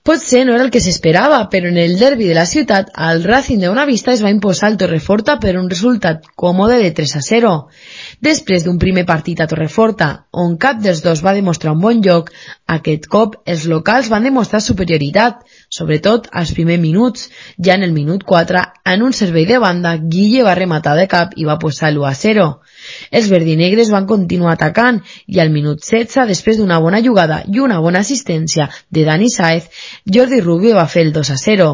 Potser no era el que s'esperava, però en el derbi de la ciutat, el Racing de Bonavista es va imposar al Torreforta per un resultat còmode de 3-0. Després d'un primer partit a Torreforta, on cap dels dos va demostrar un bon joc, aquest cop els locals van demostrar superioritat, sobretot als primers minuts. Ja en el minut 4, en un servei de banda, Guille va rematar de cap i va posar l'1-0. Els verdinegres van continuar atacant i al minut 16, després d'una bona jugada i una bona assistència de Dani Sáez, Jordi Rubio va fer el 2-0.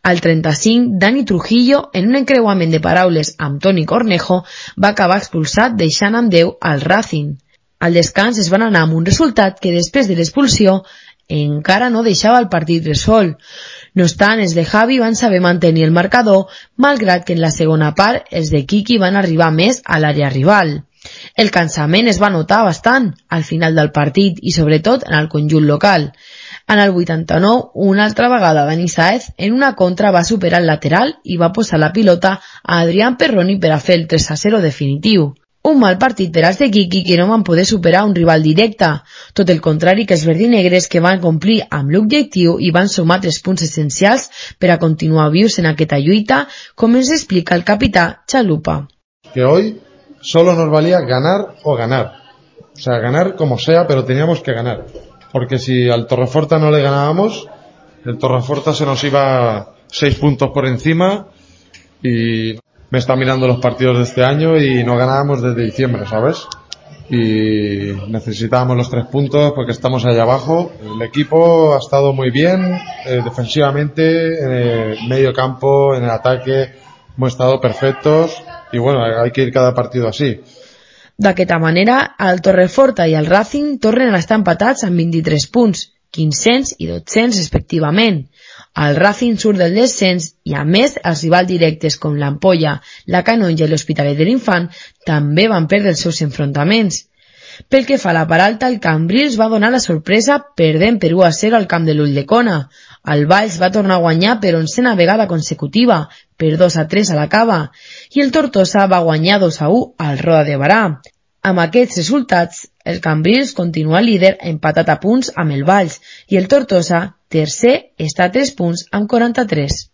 Al 35, Dani Trujillo, en un encreuament de paraules amb Toni Cornejo, va acabar expulsat deixant amb 10 al Racing. Al descans es van anar amb un resultat que després de l'expulsió encara no deixava el partit resolt. No obstant, els de Javi van saber mantenir el marcador, malgrat que en la segona part els de Quiqui van arribar més a l'àrea rival. El cansament es va notar bastant al final del partit i sobretot en el conjunt local. En el 89, una altra vegada Dani Sáez en una contra va superar el lateral i va posar la pilota a Adrián Perroni per a fer el 3-0 definitiu. Un mal partit per als de Quiqui que no van poder superar un rival directe, tot el contrari que els verdinegres que van complir amb l'objectiu i van sumar 3 punts essencials per a continuar vius en aquesta lluita, com ens explica el capità Chalupa. Que hoy solo nos valía ganar o ganar. O sea, ganar como sea, pero teníamos que ganar. Porque si al Torreforta no le ganábamos, el Torreforta se nos iba 6 puntos por encima y me está mirando los partidos de este año y no ganábamos desde diciembre, ¿sabes? Y necesitábamos los 3 puntos porque estamos allá abajo. El equipo ha estado muy bien, defensivamente, en el medio campo, en el ataque, hemos estado perfectos y bueno, hay que ir cada partido así. D'aquesta manera, el Torreforta i el Racing tornen a estar empatats amb 23 punts, 500 i 200 respectivament. El Racing surt del descens i, a més, els rivals directes com l'Ampolla, la Canonja i l'Hospitalet de l'Infant també van perdre els seus enfrontaments. Pel que fa a la part alta, el Cambrils va donar la sorpresa perdent per 1-0 al camp de l'Ulldecona. El Valls va tornar a guanyar per 11a vegada consecutiva, per 2-3 a la Cava, i el Tortosa va guanyar 2-1 al Roda de Barà. Amb aquests resultats, el Cambrils continua líder empatat a punts amb el Valls i el Tortosa, tercer, està a 3 punts amb 43.